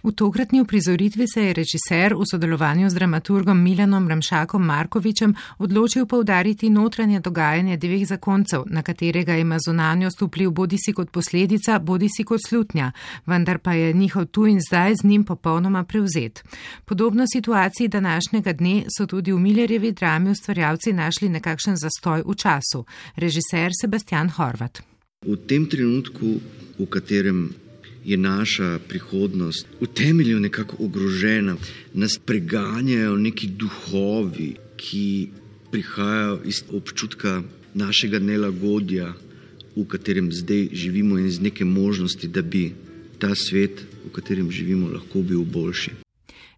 V tokratni uprizoritvi se je režiser v sodelovanju z dramaturgom Milanom Ramšakom Markovičem odločil poudariti notranje dogajanje dveh zakoncev, na katerega ima zunanjost vpliv bodisi kot posledica, bodisi kot slutnja, vendar pa je njihov tu in zdaj z njim popolnoma prevzet. Podobno situaciji današnjega dne so tudi v Millerjevi drami ustvarjalci našli nekakšen zastoj v času. Režiser Sebastian Horvat. V tem trenutku, v katerem je naša prihodnost v temelju nekako ogrožena, nas preganjajo neki duhovi, ki prihajajo iz občutka našega nelagodja, v katerem zdaj živimo in iz neke možnosti, da bi ta svet, v katerem živimo, lahko bil boljši.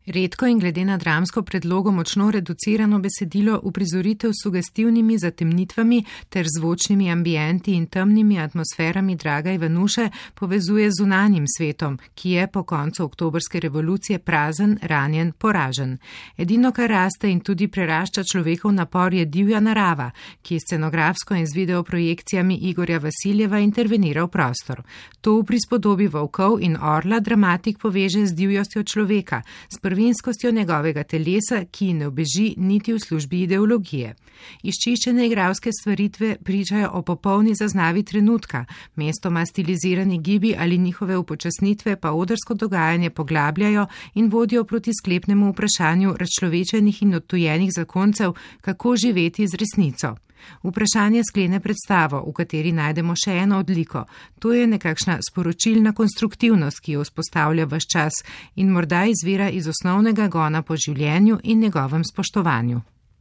Redko in glede na dramsko predlogo močno reducirano besedilo uprizoritev s sugestivnimi zatemnitvami ter zvočnimi ambienti in temnimi atmosferami Draga Ivanuše povezuje z zunanjim svetom, ki je po koncu oktobrske revolucije prazen, ranjen, poražen. Edino, kar raste in tudi prerašča človekov napor, je divja narava, ki scenografsko in z videoprojekcijami Igorja Vasiljeva intervenira v prostor. To v prispodobi volkov in orla dramatik poveže z divjostjo človeka, s prvinskostjo njegovega telesa, ki ne obeži niti v službi ideologije. Izčiščene igralske stvaritve pričajo o popolni zaznavi trenutka, mestoma stilizirani gibi ali njihove upočasnitve pa odrsko dogajanje poglabljajo in vodijo proti sklepnemu vprašanju razčlovečenih in odtujenih zakoncev, kako živeti z resnico. Vprašanje sklene predstavo, v kateri najdemo še eno odliko. To je nekakšna sporočilna konstruktivnost, ki jo vzpostavlja ves čas in morda izvira iz osnovnega gona po življenju in njegovem spoštovanju.